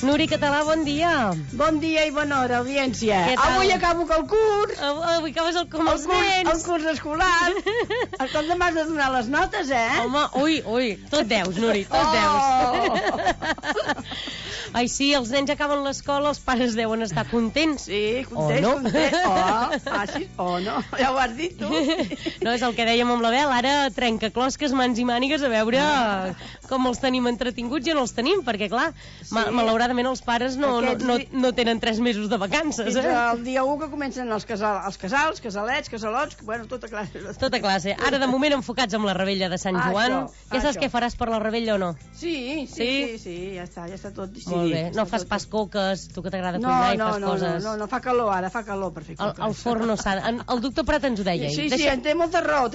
Nuri Català, bon dia. Bon dia i bona hora, audiència. Què tal? Avui acabo el curs. Avui acabes com els nens. El curs escolar. Escolta, m'has de donar les notes, Home, ui, tot deus, Nuri, tot deus. Ai, sí, els nens acaben l'escola, els pares deuen estar contents. Sí, contents, no? Contents. Sí, no, ja ho has dit tu. No, és el que dèiem amb la Bel, ara trencaclosques, mans i mànigues, a veure com els tenim entretinguts. Ja no els tenim, perquè clar, malauradament els pares no tenen 3 mesos de vacances. Fins el dia 1 que comencen els casals, casalets, casalots, bueno, tota classe. Tota classe. Ara, de moment, enfocats amb la rebella de Sant Joan. Ja saps què faràs per la rebella o no? Sí, ja està tot decidit. Molt bé, no fas pas coques, tu que t'agrada cuinar i fas coses. No, fa calor ara, fa calor per fer coques. El forn no s'ha... El doctor Prat ens ho deia. Sí, té molta raó.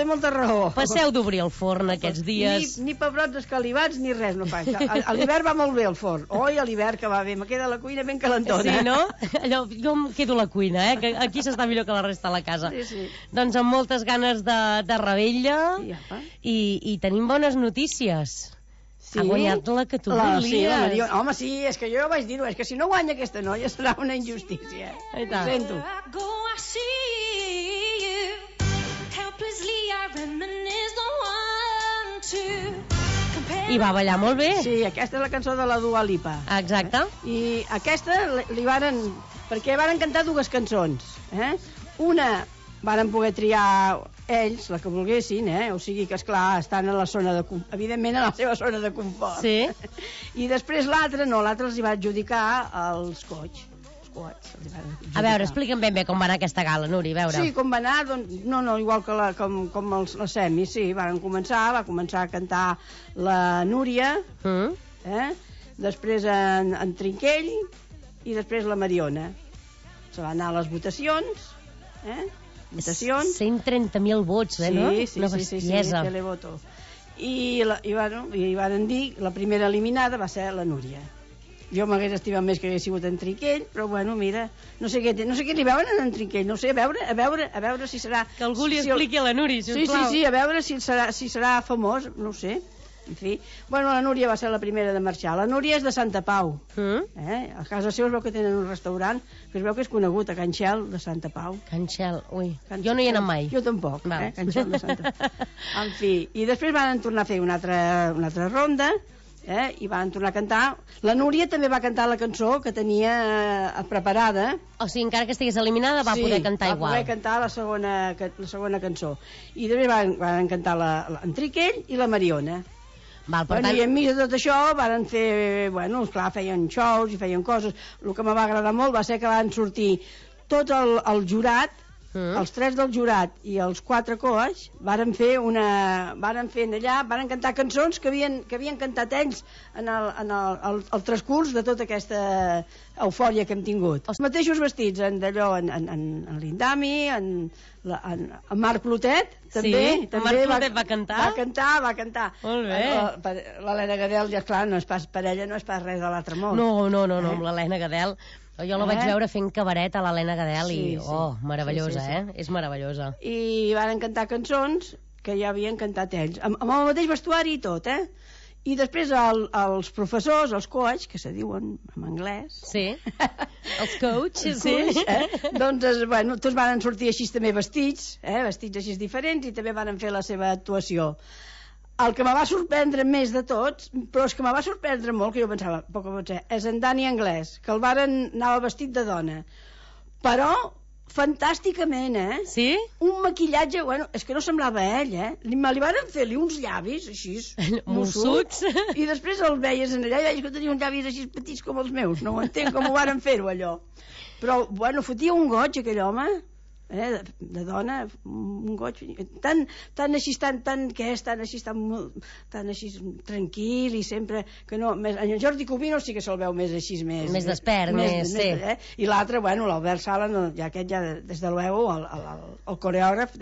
Passeu d'obrir el forn aquests dies. Ni pebrots escalivats ni res no fa. A l'hivern va molt bé el forn. Oi, a l'hivern que va bé, me queda la cuina ben calentona. Sí, no? Allò, jo em quedo a la cuina, que aquí s'està millor que la resta de la casa. Sí. Doncs amb moltes ganes de rebella i tenim bones notícies. Sí? Ha guanyat la que tu volies. Sí, la Mariona. Home, sí, és que jo ja vaig dir-ho, és que si no guanya aquesta noia serà una injustícia. Ho sento. I va ballar molt bé. Sí, aquesta és la cançó de la Dua Lipa. Exacte. I aquesta li varen... Perquè varen cantar 2 cançons. Una varen poder triar ells, la que volguessin, o sigui que, esclar, estan a la zona de... Evidentment, a la seva zona de confort. Sí. I després l'altra els hi va adjudicar els Coach. A veure, explica'm ben bé com va anar aquesta gala, Nuri, a veure. Sí, com va anar, doncs, no, igual que com els semis, sí, va començar a cantar la Núria, després en Trinquell i després la Mariona. Se va anar a les votacions, votacions. 130.000 vots, no? Sí, una bestiesa. Televoto. I van dir, la primera eliminada va ser la Núria. Jo m'hagués estimat més que hagués sigut en Trinquell, però bueno, mira, no sé què li veuen en Trinquell, no sé, a veure si serà... Que algú li expliqui a la Núria, sisplau. Sí, a veure si serà famós, no ho sé. En fi, bueno, la Núria va ser la primera de marxar. La Núria és de Santa Pau. A casa seva es veu que tenen un restaurant que es veu que és conegut, a Can Xel de Santa Pau. Can Xel, jo no hi he anat mai. Jo tampoc, Can Xel de Santa Pau. En fi, i després van tornar a fer una altra ronda, i van tornar a cantar. La Núria també va cantar la cançó que tenia preparada. O sigui, encara que estigués eliminada va poder cantar igual. Sí, va poder cantar la segona cançó. I després van cantar en Trinquell i la Mariona. I enmig de tot això van fer, clar, feien shows i feien coses. El que me va agradar molt va ser que van sortir tot el jurat, els 3 del jurat i els 4 coach varen cantar cançons que havien cantat ells en el transcurs de tota aquesta eufòria que hem tingut. Els mateixos vestits, d'allò, en l'Indami, en Marc Clotet, també. Sí, Marc Clotet va cantar? Va cantar. Molt bé. L'Helena Gadel, ja clar, no és pas per ella, no és pas res de l'altre món. No, amb l'Helena Gadel. Jo la vaig veure fent cabaret a l'Helena Gadel i, meravellosa, és meravellosa. I van cantar cançons que ja havien cantat ells, amb el mateix vestuari i tot, I després els professors, els coach, que se diuen en anglès... Sí, els coach, sí. Doncs, tots van sortir així també vestits així diferents, i també van fer la seva actuació. El que me va sorprendre més de tots, però és que me va sorprendre molt, que jo pensava, poc pot ser, és en Dani Anglès, que el varen anar vestit de dona. Però, fantàsticament, Sí? Un maquillatge, és que no semblava ell, Me li varen fer uns llavis, així, mussuts, i després el veies allà i veies que tenia uns llavis així petits com els meus, no ho entenc com ho varen fer-ho, allò. Però, fotia un goig, aquell home, de dona, un goig tan així tranquil i sempre que no, en Jordi Cubino sí que se'l veu més així, més despert, sí. I l'altre, l'Albert Sala, aquest ja des de luego el coreògraf,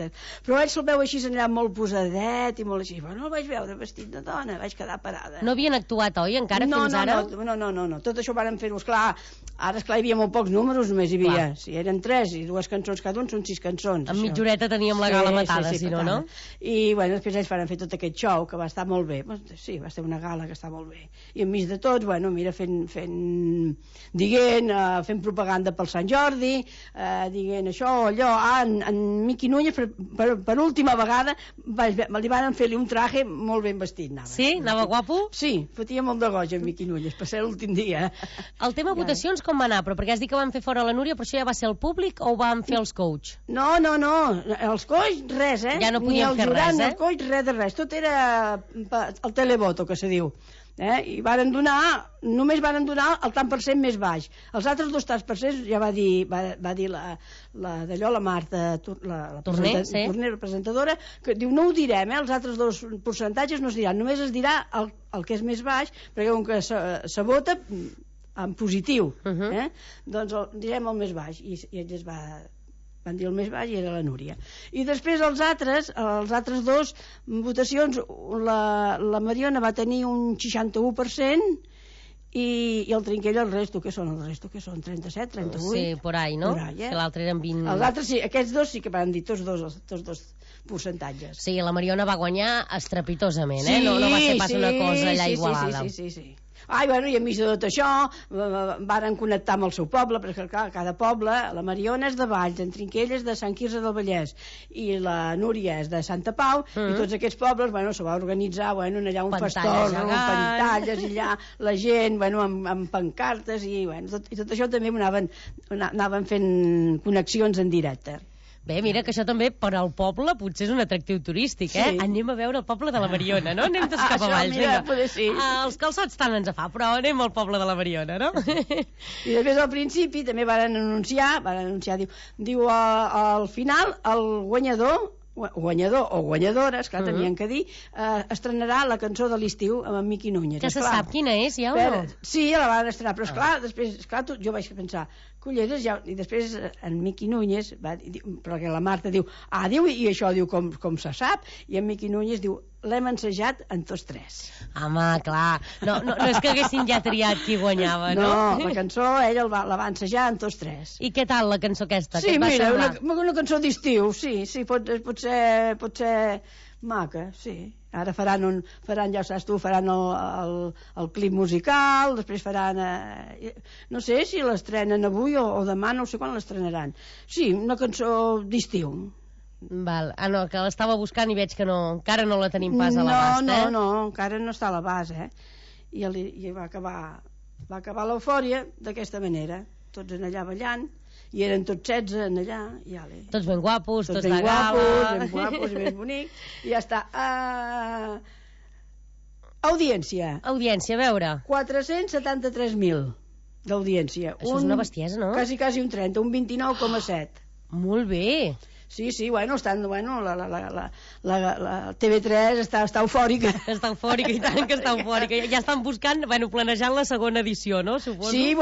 però ell se'l veu així allà molt posadet i molt així, el vaig veure vestit de dona, vaig quedar parada. No havien actuat, oi, encara fins ara? No, tot això ho varen fer-ho, esclar, ara hi havia molt pocs números, només hi havia, si eren 3 i 2 cançons cada un, són 6 cançons. En mitja horeta teníem la gala matada, sí, si no, no? I, bueno, després ells van fer tot aquest show, que va estar molt bé. Sí, va ser una gala que està molt bé. I enmig de tots, bueno, mira, fent propaganda pel Sant Jordi, dient això, allò, en Miqui Núñez, per última vegada, li van fer-li un traje molt ben vestit, anava. Sí? Anava guapo? Sí, fotia molt de goig en Miqui Núñez, per ser l'últim dia. El tema votacions com va anar? Però perquè has dit que van fer fora la Núria, però això ja va ser el públic o ho van fer els coach? No, els coach res, Ja no podien fer res, ni el coach res de res, tot era el televoto, que se diu. I només varen donar el tant per cent més baix. Els altres 2 tants per cent ja va dir la Marta, la Torner, presentadora, que diu, no ho direm, els altres 2 percentatges no es diran, només es dirà el que és més baix, perquè com que se vota en positiu, doncs direm el més baix, i ells van dir el més baix i era la Núria. I després els altres 2 votacions, la Mariona va tenir un 61% i el Trinquell el resto, que són 37, 38? Sí, por ahí, no? Que l'altre eren 20... Els altres sí, aquests 2 sí que van dir tots dos percentatges. Sí, la Mariona va guanyar estrepitosament, no va ser pas una cosa allà igualada. Sí. I enmig de tot això varen connectar amb el seu poble, perquè clar, cada poble, la Mariona és de Valls, en Trinquell és de Sant Quirze del Vallès i la Núria és de Santa Pau, i tots aquests pobles, se va organitzar allà un pastor, amb pantalles, i allà la gent, amb pancartes, i tot això també anaven fent connexions en directe. Bé, mira, que això també per al poble potser és un atractiu turístic, Sí. Anem a veure el poble de la Mariona, no? Anem tots cap a Valls, vinga. Sí. Els calçots tant ens fa, però anem al poble de la Mariona, no? I després al principi també varen anunciar, diu al final el guanyador o guanyadora, esclar, tenien que dir, estrenarà la cançó de l'estiu amb en Miqui Núñez. Que se sap quina és, ja o no? Sí, la van estrenar, però esclar, després, jo vaig pensar, culleres, i després en Miqui Núñez, perquè la Marta diu, i això diu com se sap, i en Miqui Núñez diu, l'hem ensejat en tots 3. Home, clar, no és que haguessin ja triat qui guanyava, no? No, la cançó ella la va ensejar en tots 3. I què tal la cançó aquesta? Sí, mira, una cançó d'estiu, sí, pot ser maca, sí. Ara faran ja saps tu, faran el clip musical, després faran... no sé si l'estrenen avui o demà, no sé quan l'estrenaran. Sí, una cançó d'estiu. Val. No, que l'estava buscant i veig que encara no la tenim pas a l'abast, No, encara no està a l'abast, I va acabar l'eufòria d'aquesta manera, tots en allà ballant, i eren tots 16 en allà, i ale. Tots ben guapos, tots de gala. Ben guapos i ben bonics, i ja està. Audiència. Audiència, a veure. 473.000 d'audiència. Això és una bestiesa, no? Quasi un 30, un 29,7. Molt bé. Sí, la TV3 està eufòrica. Està eufòrica, i tant que està eufòrica. Ja estan buscant, planejant la segona edició, no? Suposo. Sí,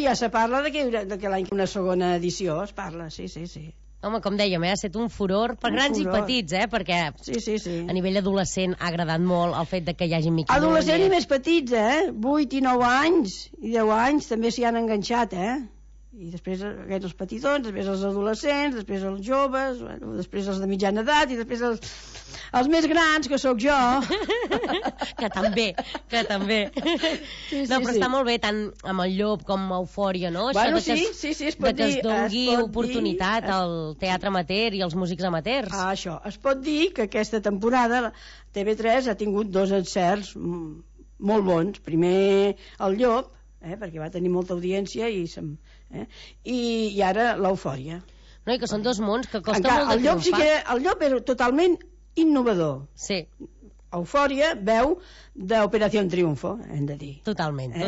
ja se parla de que l'any una segona edició es parla, sí. Home, com dèiem, ha estat un furor per grans i petits, perquè a nivell adolescent ha agradat molt el fet de que hi hagi Miqui Núñez. Adolescent i més petits, 8 i 9 anys, i 10 anys també s'hi han enganxat, i després aquests els petitons, després els adolescents, després els joves, després els de mitjana edat i després els més grans, que sóc jo. que també. Però està molt bé, tant amb el Llop com amb Eufòria, no? Sí, es pot dir. Que es doni oportunitat al teatre amateur i als músics amateurs. Això, es pot dir que aquesta temporada TV3 ha tingut 2 encerts molt bons. Primer el Llop, perquè va tenir molta audiència i ara l'Eufòria. No, i que són 2 mons que costa molt de triomfar. El Llop era totalment innovador. Sí. Eufòria veu d'Operació Triunfo, hem de dir. Totalment. No,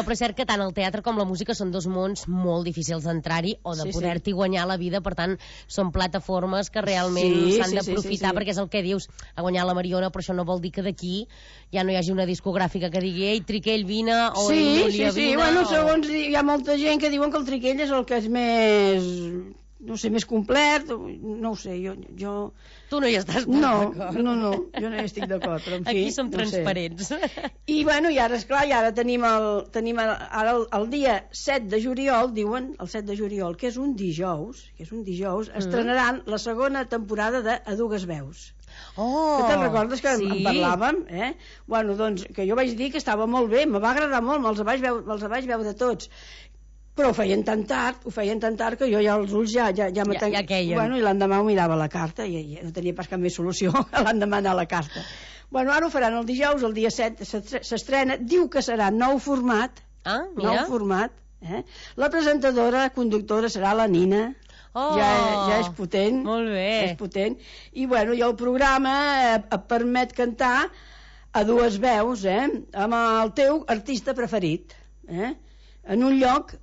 però és cert que tant el teatre com la música són 2 mons molt difícils d'entrar-hi o de poder-t'hi guanyar la vida, per tant, són plataformes que realment s'han d'aprofitar, perquè és el que dius, ha guanyat la Mariona, però això no vol dir que d'aquí ja no hi hagi una discogràfica que digui ei, Triquell, vine, o ei, Núria, vine. Segons hi ha molta gent que diuen que el Triquell és el que és més no sé, més complet, no ho sé, jo... Tu no hi estàs d'acord. No, jo no hi estic d'acord, però en fi... Aquí som transparents. I bueno, i ara, esclar, tenim el dia 7 de juliol, diuen, el 7 de juliol, que és un dijous, estrenaran la segona temporada de A Dues Veus. Oh, que te'n recordes que en parlàvem? Bueno, doncs, que jo vaig dir que estava molt bé, me va agradar molt, me'ls vaig veure tots. Però ho feien tan tard que jo ja els ulls ja queien. Bueno, i l'endemà ho mirava a la carta i no tenia pas cap més solució que l'endemà anar a la carta. Bueno, ara ho faran el dijous, el dia 7 s'estrena, diu que serà nou format. Nou format. La presentadora, la conductora serà la Nina. Ja és potent. Molt bé. És potent. I bueno, i el programa et permet cantar a dues veus, amb el teu artista preferit, en un lloc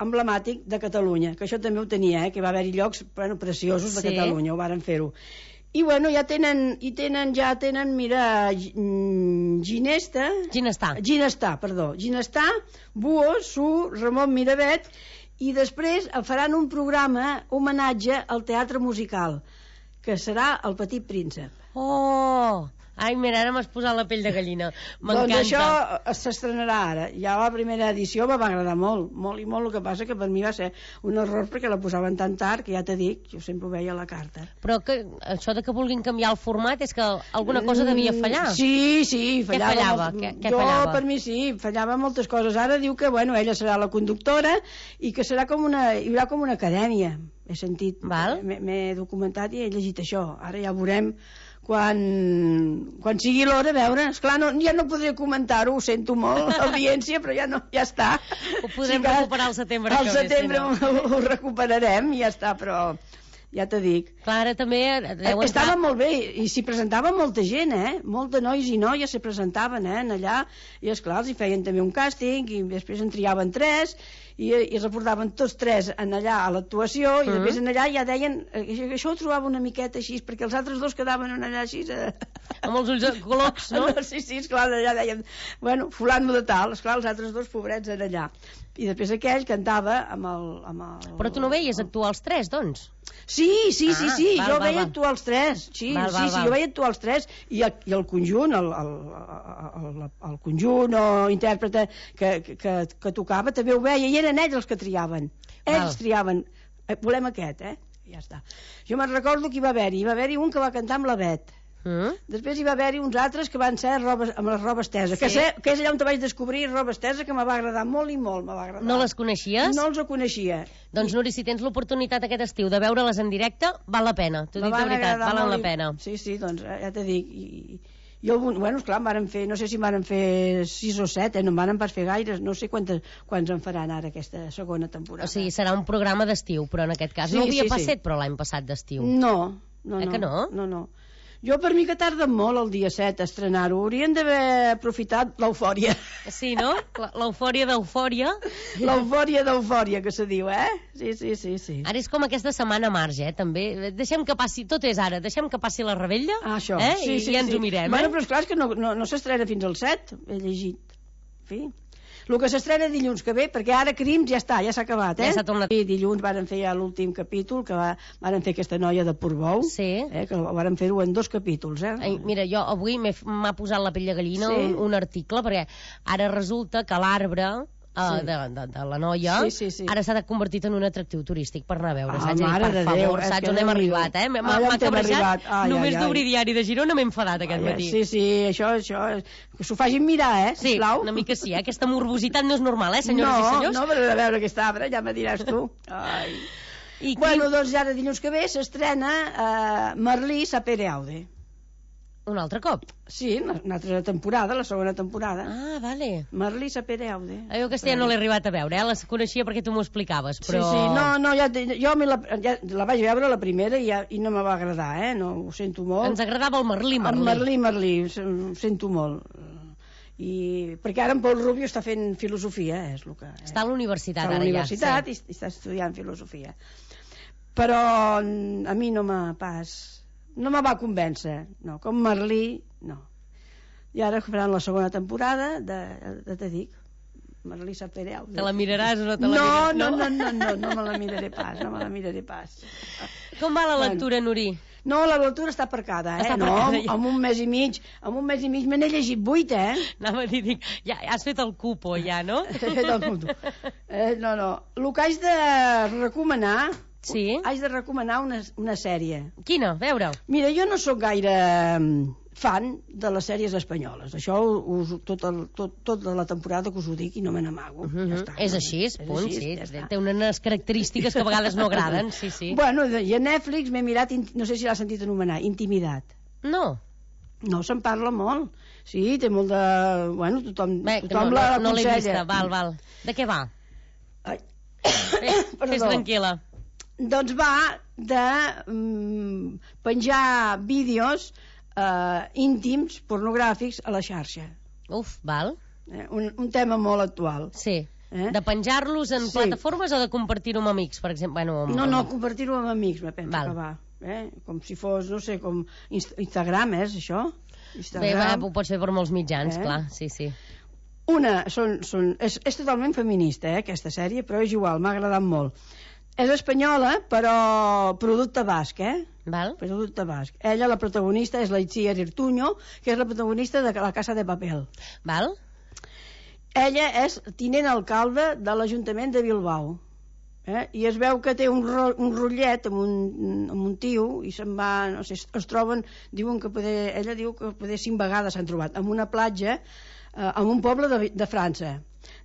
emblemàtic de Catalunya, que això també ho tenia, que va haver-hi llocs preciosos de Catalunya, ho varen fer-ho. I bueno, ja tenen, mira, Ginestà, Buo, Su, Ramon Miravet, i després faran un programa homenatge al teatre musical, que serà El Petit Príncep. Ai, mira, ara m'has posat la pell de gallina. M'encanta. Doncs això s'estrenarà ara. Ja la primera edició me va agradar molt, molt i molt, el que passa que per mi va ser un error perquè la posaven tan tard que ja t'he dit, jo sempre ho veia a la carta. Però que això de que vulguin canviar el format és que alguna cosa devia fallar. Sí, fallava. Què fallava? Per mi sí, fallava moltes coses. Ara diu que, bueno, ella serà la conductora i que serà hi haurà com una acadèmia. He sentit, m'he documentat i he llegit això. Ara ja veurem quan sigui l'hora, a veure, esclar, ja no podré comentar-ho, ho sento molt, l'audiència, però ja està. Ho podem recuperar al setembre. Al setembre ho recuperarem i ja està, però ja t'ho dic. Clar, ara també estava molt bé, i s'hi presentava molta gent, molt de nois i noies s'hi presentaven allà, i esclar, els hi feien també un càsting, i després en triaven 3, i es reportaven tots 3 allà a l'actuació, i després allà ja deien això ho trobava una miqueta així, perquè els altres dos quedaven allà així amb els ulls colocs, no? Sí, esclar, allà deien, bueno, fulano de tal, esclar, els altres dos pobrets allà, i després aquell cantava amb el... Però tu no veies actuar els 3, doncs? Sí, jo veia actuar els 3, jo veia actuar els 3, i el conjunt, el conjunt o intèrprete que tocava també ho veia, i eren ells els que triaven. Ells triaven. Volem aquest, ja està. Jo me'n recordo que hi va haver-hi un que va cantar amb la Bet. Després hi va haver-hi uns altres que van ser amb les robes teses, que és allà on te vaig descobrir robes teses, que me va agradar molt i molt, me va agradar. No les coneixies? No els coneixia. Doncs Núria, si tens l'oportunitat aquest estiu de veure-les en directe, val la pena, t'ho dic de veritat, valen la pena. Sí, doncs ja t'he dit, i bueno, esclar, no sé si van fer 6 o 7, no en van pas fer gaires, no sé quants en faran ara aquesta segona temporada. O sigui, serà un programa d'estiu, però en aquest cas no havia passat, però l'any passat d'estiu. No. Que no? No. Jo, per mi, que tarden molt el dia 7 a estrenar-ho. Haurien d'haver aprofitat l'eufòria. Sí, no? L'eufòria d'eufòria. L'eufòria d'eufòria, que se diu, Sí. Ara és com aquesta setmana marge, també. Deixem que passi, tot és ara, deixem que passi la rebella, això. I ja ens ho mirem. Bueno, però esclar, és que no s'estrena fins al 7, he llegit. En fi... El que s'estrena dilluns que ve, perquè ara Crims ja s'ha acabat, Ja s'ha tornat. I dilluns varen fer ja l'últim capítol, que varen fer aquesta noia de Portbou, que varen fer-ho en 2 capítols, Mira, jo avui m'ha posat la pell de gallina un article, perquè ara resulta que l'arbre de la noia ara s'ha convertit en un atractiu turístic per anar a veure, saps? Per favor, saps on hem arribat, m'ha cabrejat, només d'obrir Diari de Girona m'he enfadat aquest matí. Sí, això que s'ho facin mirar, sisplau. Sí, una mica sí, aquesta morbositat no és normal, senyores i senyors? No, però a veure aquest arbre, ja me diràs tu. Bueno, doncs ara dilluns que ve s'estrena Merlí Sapere Aude. Un altre cop? Sí, una altra temporada, la segona temporada. Ah, vale. Merlí Sapere Aude. Jo aquesta ja no l'he arribat a veure, la coneixia perquè tu m'ho explicaves, però... Sí, no, jo la vaig veure la primera i no me va agradar, no, ho sento molt. Ens agradava el Merlí. El Merlí, ho sento molt. Perquè ara en Pol Rubio està fent filosofia, és el que... Està a la universitat ara ja. Està a la universitat i està estudiant filosofia. Però a mi no me va convèncer, no, com Merlí, no. I ara faran la segona temporada, te dic, Marlisa Pereu. Te la miraràs o no te la miraràs? No me la miraré pas, Com va la lectura, Nuri? No, la lectura està aparcada, Està aparcada, ja. amb un mes i mig me n'he llegit 8, Anava a dir, ja has fet el cupo, ja, no? He fet el cupo. No. El que haig de recomanar... Sí? Haig de recomanar una sèrie. Quina? Veure-ho. Mira, jo no sóc gaire fan de les sèries espanyoles. Això tota la temporada que us ho dic i no me n'amago. Ja està. És així, punt, sí. Té unes característiques que a vegades no agraden, sí. Bueno, i a Netflix m'he mirat, no sé si l'has sentit anomenar, Intimidat. No. No, se'n parla molt. Sí, té molt de... Bueno, tothom la no l'he vista, val. De què va? Fes tranquil·la. Doncs va de penjar vídeos íntims, pornogràfics a la xarxa. Uf, val. Un tema molt actual. Sí. De penjar-los en plataformes o de compartir-ho amb amics, per exemple? No, compartir-ho amb amics, me penso que va. Com si fos, no sé, com Instagram, això? Bé, ho pots fer per molts mitjans, clar, sí. Una, és totalment feminista, aquesta sèrie, però és igual, m'ha agradat molt. És espanyola, però producte basc, Val. Producte basc. Ella, la protagonista, és la Itziar Irtuño, que és la protagonista de La Casa de Papel. Val. Ella és tinent alcalde de l'Ajuntament de Bilbao. I es veu que té un rotllet amb un tio i se'n va, no sé, es troben, ella diu que poder 5 vegades s'han trobat en una platja en un poble de França,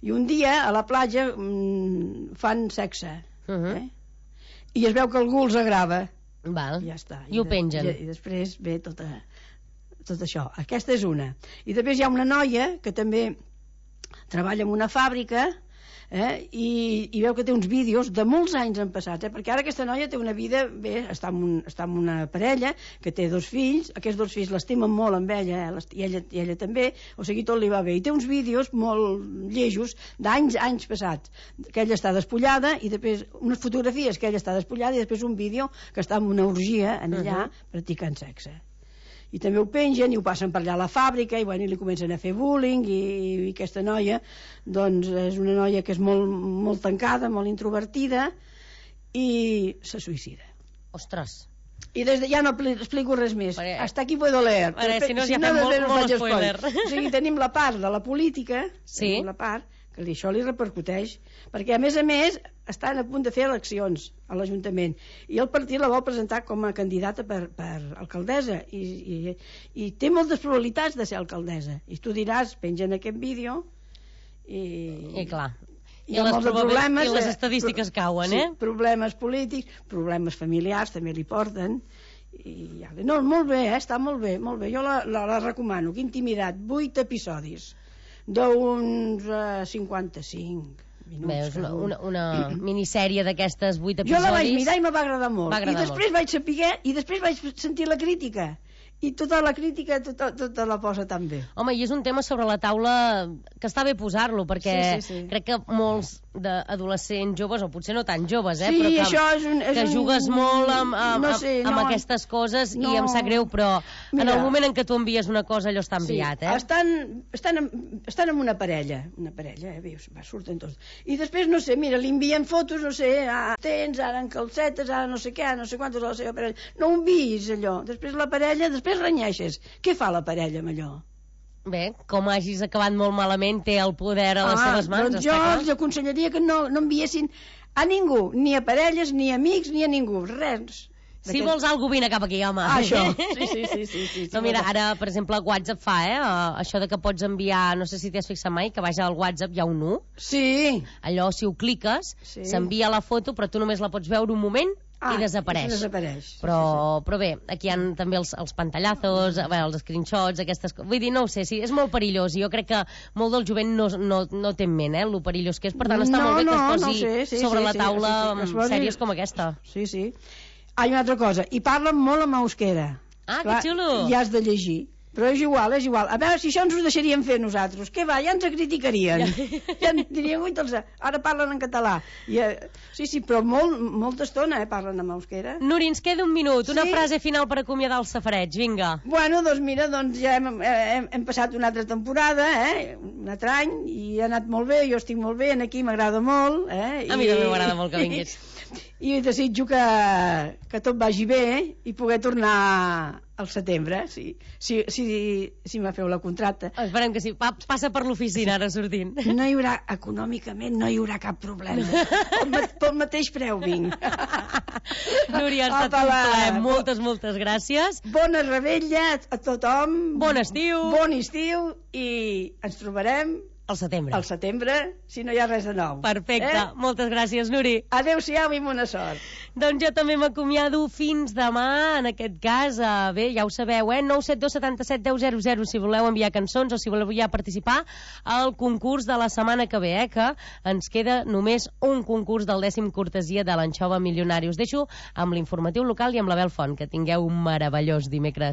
i un dia a la platja fan sexe i es veu que algú els agrava. Val. I ja està. I ho pengen. I després ve tot això. Aquesta és una. I després hi ha una noia que també treballa en una fàbrica i veu que té uns vídeos de molts anys en passats, perquè ara aquesta noia té una vida, bé, està amb una parella que té 2 fills, aquests 2 fills l'estimen molt amb ella, i ella també, o sigui, tot li va bé, i té uns vídeos molt llejos d'anys passats, que ella està despullada, i després unes fotografies que ella està despullada, i després un vídeo que està en una orgia en allà practicant sexe. I també ho pengen i ho passen per allà a la fàbrica i li comencen a fer bullying, i aquesta noia doncs és una noia que és molt tancada, molt introvertida, i se suïcida. Ostres. I ja no explico res més. Hasta aquí puedo leer. Si no, ja fem molt spoiler. O sigui, tenim la part de la política, tenim la part que això li repercuteix, perquè a més estan a punt de fer eleccions a l'Ajuntament i el partit la vol presentar com a candidata per alcaldessa i té moltes probabilitats de ser alcaldessa, i tu diràs, pengen aquest vídeo i clar, i les estadístiques cauen, problemes polítics, problemes familiars també li porten. No, molt bé, està molt bé, jo la recomano. Intimidat, 8 episodis d'uns 55 minuts. Veus, una minissèrie d'aquestes 8 episodis. Jo la vaig mirar i me va agradar molt. I després vaig saber, i després vaig sentir la crítica. I tota la crítica tota la posa tan bé. Home, i és un tema sobre la taula que està bé posar-lo, perquè crec que molts d'adolescents joves, o potser no tan joves, però que jugues molt amb aquestes coses, i em sap greu, però en el moment en què tu envies una cosa, allò està enviat, Estan amb una parella, veus, surten tots. I després, no sé, mira, li envien fotos, no sé, tens, ara en calcetes, ara no sé què, no sé quantos a la seva parella. No ho enviïs, allò. Després la parella, després renyeixes. Què fa la parella amb allò? Bé, com hagis acabat molt malament, té el poder a les seves mans. Doncs jo els aconsellaria que no enviessin a ningú, ni a parelles, ni a amics, ni a ningú, res. Si vols alguna cosa, vine cap aquí, home. Això, sí. No, mira, ara, per exemple, WhatsApp fa, això de que pots enviar, no sé si t'has fixat mai, que baix al WhatsApp hi ha un 1. Sí. Allò, si ho cliques, s'envia la foto, però tu només la pots veure un moment i desapareix. Però bé, aquí hi ha també els pantallazos, els screenshots, aquestes coses. Vull dir, no ho sé, és molt perillós, i jo crec que molt del jovent no té en ment, lo perillós que és. Per tant, està molt bé que es posi sobre la taula sèries com aquesta. Sí. Hi ha una altra cosa, i parlen molt en euskera. Que xulo! I has de llegir, Però és igual, és igual. A veure si això ens ho deixarien fer nosaltres. Què va, ja ens criticarien. Ja ens dirien, ui, ara parlen en català. Sí, però molta estona parlen en euskera. Nuri, ens queda un minut, una frase final per acomiadar el safareig, vinga. Bueno, doncs mira, ja hem passat una altra temporada, un altre any, i ha anat molt bé, jo estic molt bé, aquí m'agrada molt. A mi també m'agrada molt que vinguis. I desitjo que tot vagi bé i poder tornar al setembre, si me feu la contracta. Esperem que sí. Passa per l'oficina ara sortint. No hi haurà, econòmicament, no hi haurà cap problema. Pel mateix preu vinc. Núria, ha estat un plaer. Moltes gràcies. Bona rebella a tothom. Bon estiu. Bon estiu i ens trobarem al setembre. Al setembre, si no hi ha res de nou. Perfecte. Moltes gràcies, Nuri. Adéu-siau i bona sort. Doncs jo també m'acomiado fins demà, en aquest cas. Bé, ja ho sabeu, 972 77 10 00 si voleu enviar cançons o si voleu ja participar al concurs de la setmana que ve, que ens queda només un concurs del 10è cortesia de l'Anxova Milionari. Us deixo amb l'informatiu local i amb l'Abel Font. Que tingueu un meravellós dimecres.